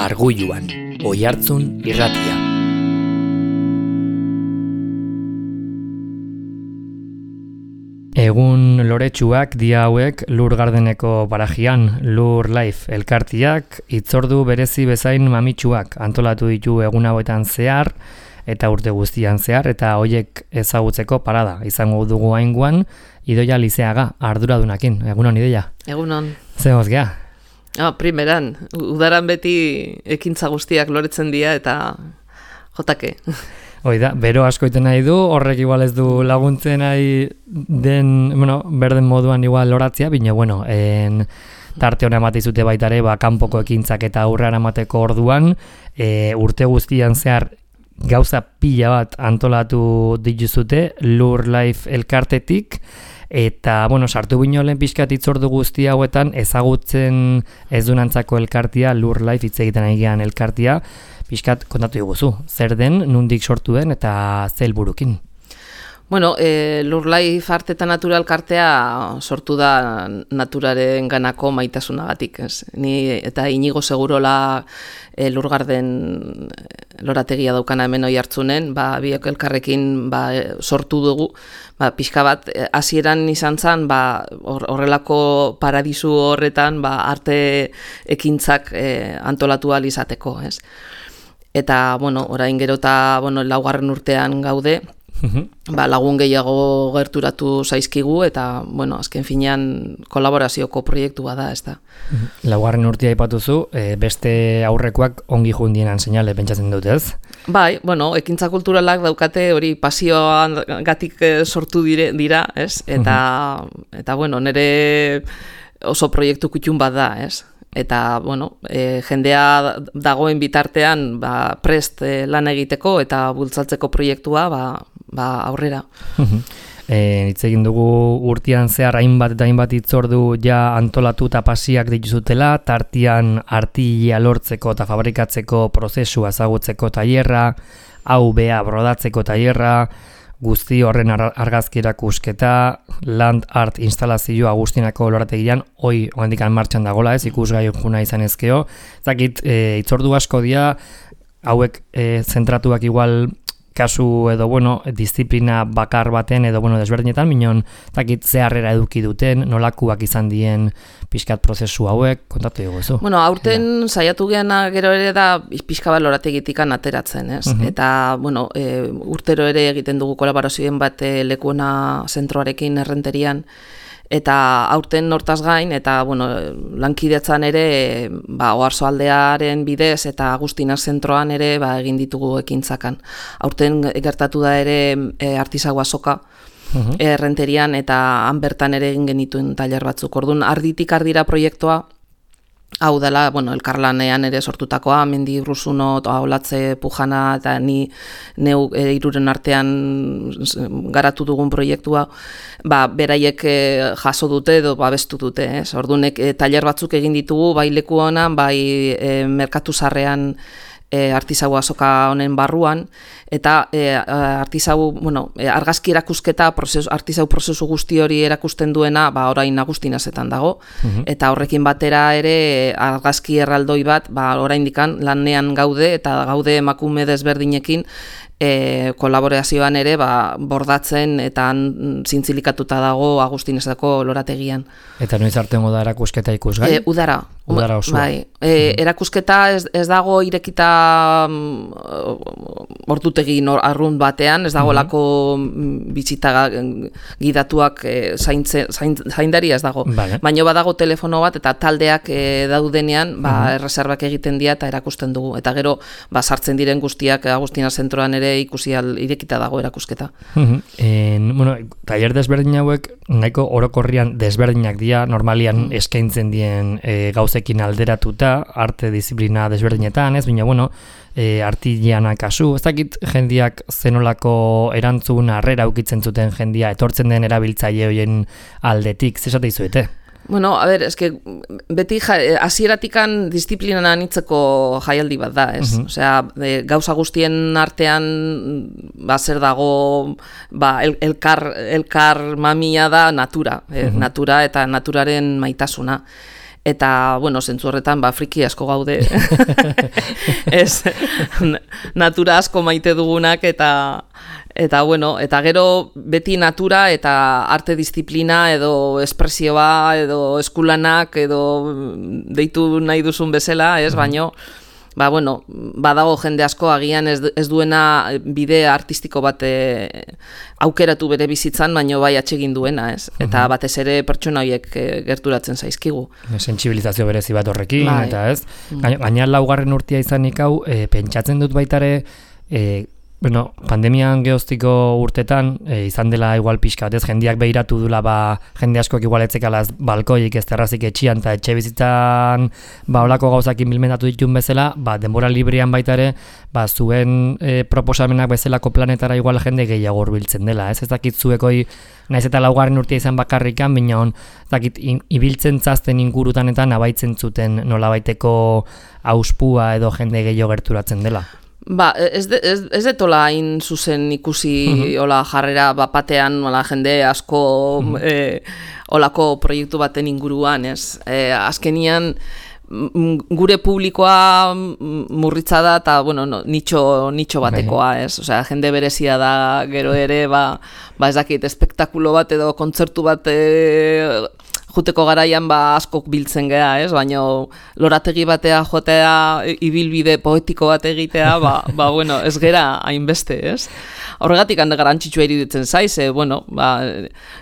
Arguluan, Oihartzun irratia. Egun loretsuak dia hauek Lur Gardeneko parajian, Lur Life elkartiak, hitzordu berezi bezain mamitsuak antolatu ditu egun hauetan zehar, eta urte guztian zehar, eta hoiek ezagutzeko parada izango dugu ainguan, Idoia Lizeaga, arduradunakin. Egunon, Idoia? Egunon. Zegoz gea? Primeran, udaran beti ekintza guztiak loretzen dira eta jotake. Hoi da, bero asko iten nahi du, horrek igual ez du laguntzen nahi den, berden moduan igual loratzea, bine, tarte hona ematizute baita ere, kanpoko ekintzak eta aurrera emateko orduan, urte guztian zehar gauza pila bat antolatu dituzute, Lur Life elkartetik, eta, sartu bino lehen pixkat hitzordu guzti hauetan, ezagutzen ez dunantzako elkartia, Lur Life hitz egiten egian elkartia, pixkat kontatu diguzu, zer den, nundik sortu den, eta ze helburukin. Lur Life Arte eta Natura elkartea sortu da naturaren ganako maitasunagatik. Ni eta Inigo Segurola Lur Garden lorategia daukana hemen Oihartzunen, biok elkarrekin sortu dugu, pixka bat, hasieran izan zen, horrelako paradisu horretan arte ekintzak antolatu ahal izateko, ez? Eta, orain gero eta, laugarren urtean gaude, lagun gehiago gerturatu zaizkigu eta, azken finean kolaborazioko proiektua da, ez da. Laugarren urtea aipatuzu, beste aurrekoak ongi jundienan seinale pentsatzen dut, ez? Bai, ekintza kulturalak daukate hori pasioan gatik sortu dira, ez? Eta nire oso proiektu kutxun bat da, ez? Eta, jendea dagoen bitartean prest lan egiteko eta bultzatzeko proiektua aurrera. Hitz egin dugu urtean zehar hainbat eta hainbat hitzordu ja antolatu eta pasiak dituzutela, tartian artilea lortzeko eta fabrikatzeko prozesua ezagutzeko tailerra, hau bea brodatzeko tailerra, guzti horren argazki erakusketa, land art instalazio Agustinako lorategian, oandikan martxan dagola, ez ikusgai juna izan ezkeo. Zakit, hitzordu asko dira, hauek zentratuak igual kasu edo, disiplina bakar baten edo, desberdinetan, minon, zakit, zeharrera eduki duten, nolakuak izan dien pixkat prozesu hauek, kontatu dugu ezu. Aurten saiatu geana gero ere da pixka bat lorategitikan ateratzen, ez? Eta, urtero ere egiten dugu kolaborazioen bat Lekuona zentroarekin errenterian, eta aurten hortaz gain, eta lankidetzan ere Oarsoaldearen bidez eta Agustina zentroan ere egin ditugu ekintzakan. Aurten gertatu da ere artisau azoka errenterian eta han bertan ere egin genituen tailer batzuk. Orduan arditik ardira proiektua, hau dela, elkarlanean ere sortutakoa, Mendi Urruzuno, Olatze Pujana eta neu hiruren artean garatu dugun proiektua, beraiek jaso dute edo babestu dute, ez? Orduan tailer batzuk egin ditugu, bai Lekuonan, bai Merkatu Zarrean artisau azoka honen barruan, eta argazki erakusketa, artisau prozesu guzti hori erakusten duena, orain Agustinazetan dago, eta horrekin batera ere argazki erraldoi bat, oraindikan lanean gaude, eta gaude emakume desberdinekin, kolaborazioan ere bordatzen eta zintzilikatuta dago Agustinezako lorategian. Eta noiz arteango da erakusketa ikusgai? Udara osoa. Bai. Erakusketa ez dago irekita ordutegi arrunt batean, ez dago lako bizita gidatuak zaindari ez dago. Baina badago telefono bat eta taldeak daudenean erreserbak egiten dira eta erakusten dugu. Eta gero sartzen diren guztiak Agustina zentroan ere ikusi irekita dago erakusketa. Tailer desberdin hauek nahiko orokorrian desberdinak dira, normalian eskaintzen dien gauzekin alderatuta, arte disiplina desberdinetan, ez? Baina, artiliana kasu, ez dakit jendiak zenolako erantzun harrera ukitzen zuten jendia, etortzen den erabiltzaile horien aldetik, zesate izuete? Beti hasieratikan disiplinan anitzeko jaialdi bat da, ez? Gauza guztien artean zer dago elkar mamia da natura, natura eta naturaren maitasuna. Eta, bueno, zentzu horretan, friki asko gaude. Ez, natura asko maite dugunak, eta bueno, eta gero beti natura eta arte disiplina edo espresioa edo eskulanak edo deitu nahi duzun bezala, ez, baino, bueno, badago jende asko agian ez duena bide artistiko bat aukeratu bere bizitzan, baino bai atsegin duena, ez? Eta batez ere pertsona horiek gerturatzen zaizkigu. Sentsibilizazio berezi bat horrekin, eta ez? Gaina 4. urtea izanik hau, pentsatzen dut baitare, bueno, pandemian geoztiko urtetan, izan dela igual pixka, ez jendeak behiratu dula, jende askoak igual etzekalaz balkoik ez terrazik etxian, eta etxe bizitzan olako gauzakin bilmentatu ditun bezala, denbora librean baitare, zuen proposamenak bezalako planetara igual jende gehiago hurbiltzen dela, ez dakit zuekoi, naiz eta 4. urtea izan bakarrikan, baina ez dakit ibiltzen zazten ingurutan eta nabaitzen zuten nolabaiteko auspua edo jende gehiago gerturatzen dela. Ez detola hain zuzen ikusi hola jarrera batean jende asko holako proiektu baten inguruan, ez? Azkenian gure publikoa murritza da eta, bueno, nitxo batekoa, ez? Osea, jende berezia da gero ere, ez dakit, espektakulo bat edo kontzertu bat juteko garaian askok biltzen gea, ez? Baina lorategi batea jotea, ibilbide poetiko bat egitea, bueno, ez gera hainbeste, ez? Horregatik hande garantzitsua iruditzen zaiz, bueno,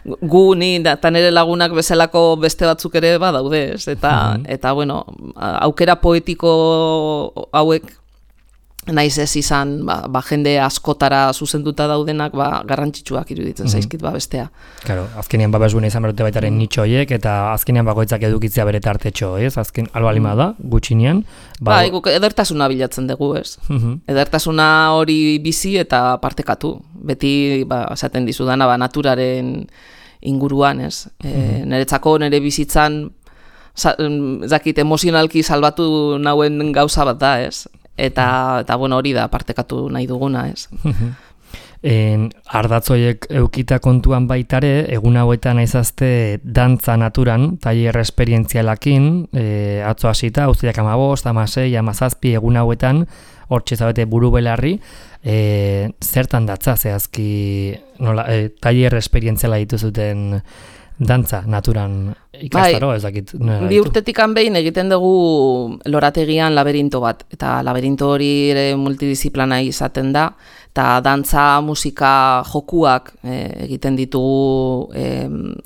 gu ni eta nire lagunak bezalako beste batzuk ere daude, ez? Eta, bueno, aukera poetiko hauek naiz ez izan, jende askotara zuzenduta daudenak, garrantzitsuak iruditzen zaizkit, bestea. Claro, azkenean babesgune izan berute baitaren nitxo horiek, eta azkenean bakoitzak edukitzea bere tartetxo, ez? Azken, albalima da, gutxinean. Guk edertasuna bilatzen dugu, ez? Edertasuna hori bizi eta partekatu. Beti, esaten dizudana, naturaren inguruan, ez? Niretzako, nire bizitzan, zakit, emozionalki salbatu nauen gauza bat da, ez? Eta bueno, hori da partekatu nahi duguna, ez? Ardatzoiek eukita kontuan baitare, egun hauetan aizazte dantza naturan, tailer esperientzialakin, atzo hasita, uztiak 15, 16, 17 egun hauetan, hortxe zabete buru belarri, zertan datza, zehazki, tailer esperientziala dituzuten dantza naturan ikastaro, ez dakit. Bi urtetikan behin egiten dugu lorategian laberinto bat, eta laberinto hori ere multidisziplina izaten da, eta dantza, musika, jokuak egiten ditugu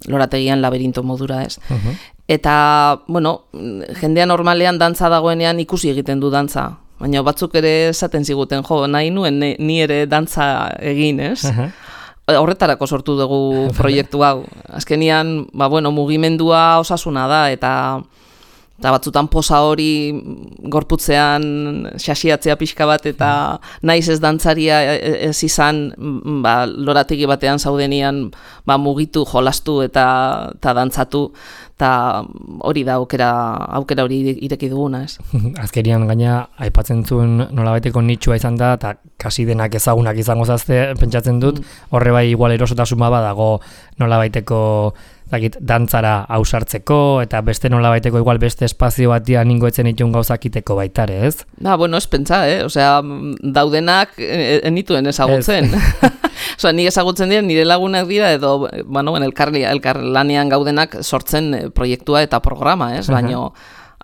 lorategian laberinto modura, ez. Eta, bueno, jendea normalean dantza dagoenean ikusi egiten du dantza, baina batzuk ere esaten ziguten, nahi nuen ni ere dantza egin, ez. Horretarako sortu dugu proiektu hau. Azkenian, bueno, mugimendua osasuna da, eta batzutan posa hori gorputzean xasiatzea pixka bat, eta naiz ez dantzaria ez izan, lorategi batean zaudenian mugitu, jolastu eta dantzatu, eta hori da aukera hori ireki duguna, ez? Azkerian gaina aipatzen zuen nolabaiteko nitxua izan da, eta kasi denak ezagunak izango zazte, pentsatzen dut, horre bai igual erosotasuma badago nolabaiteko dantzara ausartzeko, eta beste nolabaiteko igual beste espazio batian ningoetzen itun gauzakiteko baitare, ez? Bueno, ez pentsa, osea, daudenak enituen ezagutzen. Osea, nik ezagutzen dira, nire lagunak dira, edo, bueno, elkarlanean gaudenak sortzen proiektua eta programa, ez? Baina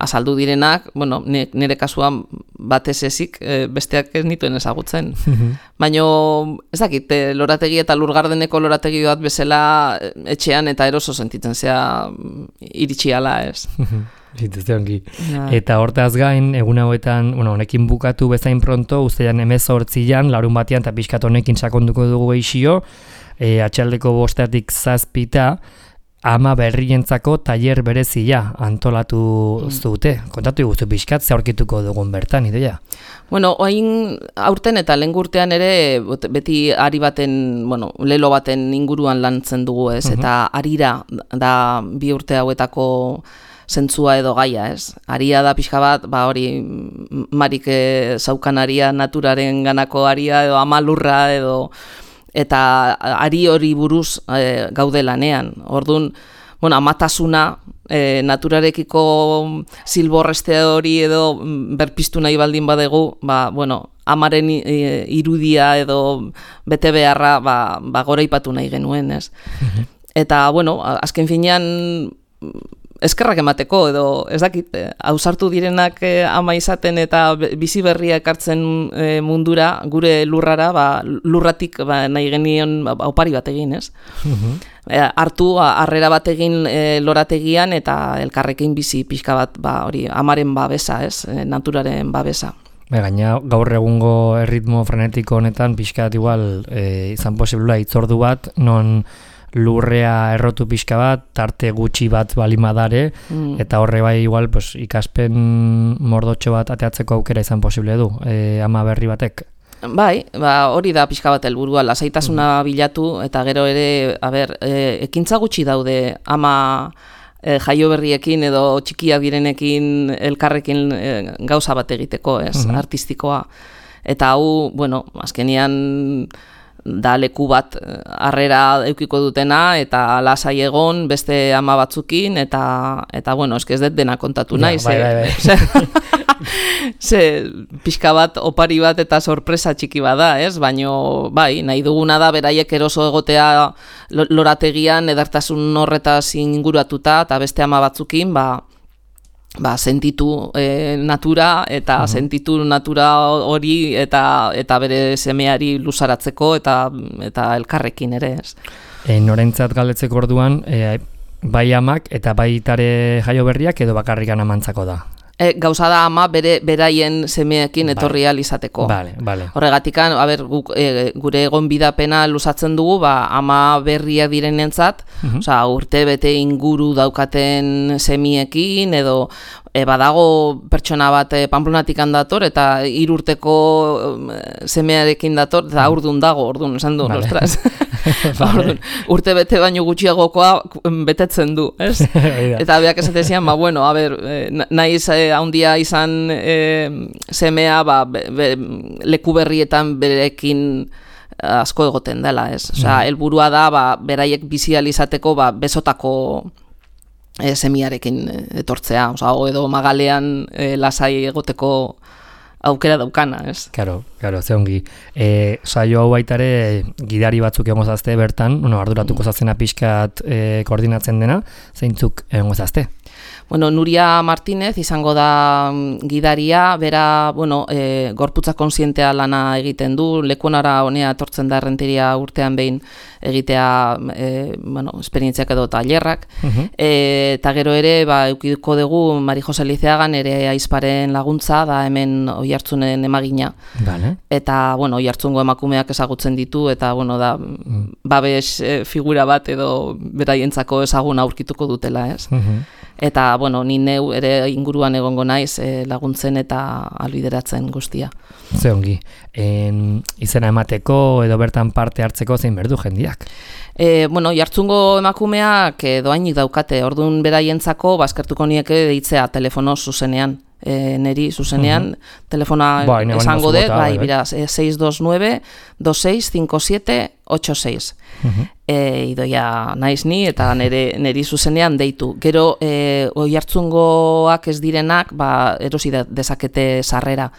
azaldu direnak, bueno, nire kasuan batez ezik, besteak ez nituen ezagutzen. Baina, ez dakit, lorategi eta Lurgardeneko lorategi bat bezala etxean eta eroso sentitzen zea iritsiala, ez? Eta hortaz gain, egun hauetan, honekin bukatu bezain pronto, uztailan 18an, larun batean, eta pixkat honekin sakonduko dugu gehixio, atxaldeko 5 7 ama berrientzako tailer berezia antolatu zute. Kontatu iguzu pixkat, ze aurkituko dugun bertan, ideia? Bueno, oain aurten eta lehen urtean ere, beti ari baten, bueno, lelo baten inguruan lantzen dugu, ez? Eta arira da 2 urte hauetako zentzua edo gaia, ez? Aria da pixka bat, hori marik zaukan aria, naturaren ganako aria, edo amalurra, edo eta ari hori buruz gaude lanean. Orduan, bueno, amatasuna, naturarekiko zilborreste hori edo berpiztu nahi baldin badegu, bueno, amaren irudia edo bete beharra goraipatu nahi genuen, ez? Eta, bueno, azken finean eskerrak emateko edo ez dakit, ausartu direnak ama izaten eta bizi berria ekartzen mundura, gure lurrara, lurratik nahi genion opari bat egin, ez? Hartu, harrera bat egin lorategian eta elkarrekin bizi pixka bat, hori, amaren babesa, ez? Naturaren babesa. Gaina gaur egungo erritmo frenetiko honetan pixkat igual izan posiblea hitzordu bat, non lurrea errotu pixka bat, tarte gutxi bat balimadare, eta horre bai igual ikaspen mordotxo bat ateatzeko aukera izan posible du, ama berri batek. Bai, hori da pixka bat helburua, lasaitasuna bilatu, eta gero ere, ekintza gutxi daude ama jaio berriekin edo txikia direnekin elkarrekin gauza bat egiteko, ez, artistikoa. Eta hau, bueno, azkenian da leku bat harrera eukiko dutena eta lasai egon beste ama batzukin eta bueno, eske ez dut dena kontatu nahi, ze pixka bat opari bat eta sorpresa txiki bada, ez? Baino bai, nahi duguna da beraiek eroso egotea lorategian edartasun horretaz inguratuta eta beste ama batzukin sentitu natura eta sentitu natura hori eta bere semeari luzaratzeko eta elkarrekin ere, ez. Norentzat galdetzeko orduan, bai amak eta bai tare jaio berriak edo bakarrikan amantzako da? Gauza da ama beraien semeekin etorri ahal izateko. Horregatikan, gure gonbidapena luzatzen dugu, ama berriak direnentzat, urte bete inguru daukaten semiekin, edo badago pertsona bat Pamplonatik dator, eta 3 urteko semearekin dator, eta aurdun dago, orduan, esan du, nostraz. Urte bete baino gutxiagokoa betetzen du, ez? Eta beak esatezian, bueno, naiz handia izan semea leku berrietan berekin asko egoten dela, ez? Osea, helburua da beraiek bizializateko besotako semiarekin etortzea, edo magalean lasai egoteko aukera daukana, ez? Claro, ze ongi. Saio hau baitare gidari batzuk egongo zazte bertan, arduratuko zazena pixkat koordinatzen dena, zeintzuk egongo zazte? Bueno, Nuria Martínez izango da gidaria, bera, gorputza konsientea lana egiten du, lekuonara honea etortzen da errenteria urtean behin egitea, esperientziak edo tailerrak, eta gero ere, eukiko dugu Mari Jose Lizeagan ere aizparen laguntza, da hemen Oiartzunen emagina. Eta, Oiartzungo emakumeak ezagutzen ditu, eta, da, babes figura bat edo beraientzako ezagun aurkituko dutela, ez? Eta, ni neu ere inguruan egongo naiz laguntzen eta albideratzen guztia. Ze ongi, izena emateko edo bertan parte hartzeko zein berdu jendiak? Jartzungo emakumeak doainik daukate, orduan beraientzako eskertuko nieke deitzea telefono zuzenean. Neri zuzenean, telefona esango dut, bira, 629-2657-86. Idoia naiz ni eta neri zuzenean deitu. Gero, Oiartzungoak ez direnak, erosi dezakete sarrera.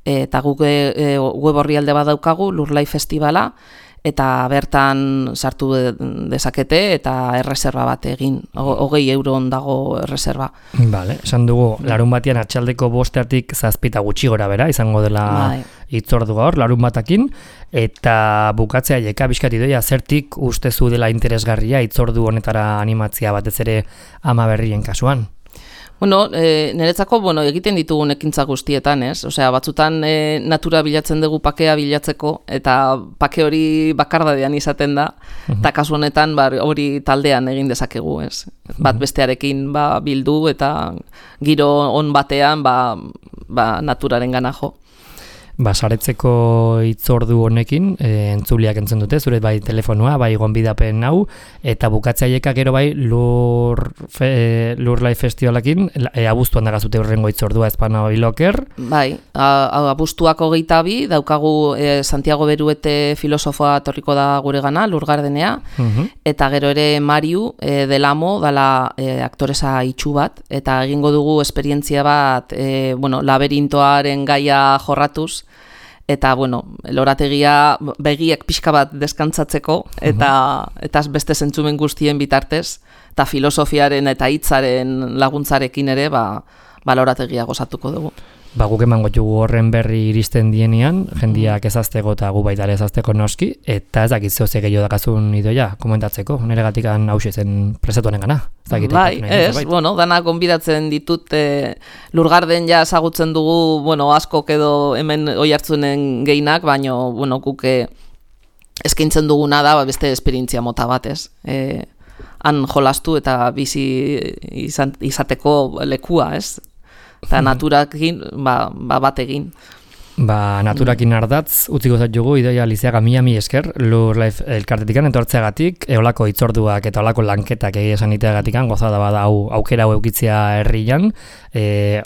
Eta guk web orrialde bat daukagu, Lurlai Festivala, eta bertan sartu dezakete eta erreserba bat egin, 20 euro dago erreserba. Esan dugu, larun batian atxaldeko 5:00 7 gutxi gora bera, izango dela hitzordu gaur, larun batakin, eta bukatzea jeka bizkati doia, zertik ustezu dela interesgarria hitzordu honetara animatzia batez ere ama berrien kasuan? Niretzako, egiten ditugun ekintza guztietan, ez? Osea, batzutan natura bilatzen dugu pakea bilatzeko, eta pake hori bakardadean izaten da, eta kasu honetan hori taldean egin dezakegu, ez? Bat bestearekin bildu, eta giro on batean naturaren gana jo. saretzeko hitzordu honekin entzuliak entzun dute, zure bai telefonua, bai gonbidapen hau, eta bukatzaieka gero bai Lur Life Festivalakin, abuztuan dagazute urrengo hitzordua Espana Biloker. Bai, abuztuak 22 daukagu Santiago Beruete filosofoa torriko da gure gana, Lurgardenea, eta gero ere Mariu del Amo dala aktoresa itxu bat, eta egingo dugu esperientzia bat, laberintoaren gaia jorratuz, eta, lorategia begiak pixka bat deskantzatzeko, eta beste zentzumen guztien bitartez, eta filosofiaren eta hitzaren laguntzarekin ere, lorategia gozatuko dugu. Guk emango dugu horren berri iristen dienean, jendiak ezazteko eta gu baita ezazteko noski, eta ez dakit zehose gehiago dakazun idoia, komentatzeko, nire gatikan hause zen presatuanen gana. Bai, dana gonbidatzen ditut, Lurgarden ja ezagutzen dugu, askok edo hemen oihartzunen gehienak, baina, guk eskaintzen duguna da, beste esperientzia mota bat, ez? Han jolastu eta bizi izateko lekua, ez? Eta naturakin, bat egin. Naturakin ardatz, utziko zait jugu, Idoia Lizeaga mi esker, Lur Life elkartetikan entortzeagatik, eolako hitzorduak eta eolako lanketak egia esan iteagatikan, gozada bada aukera hau eukitzia herrian,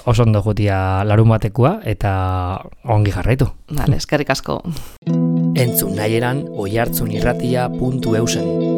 oso ondo jutia larun batekoa, eta ongi jarraitu. Eskerrik asko. Entzun nahieran, oihartzunirratia.eusen.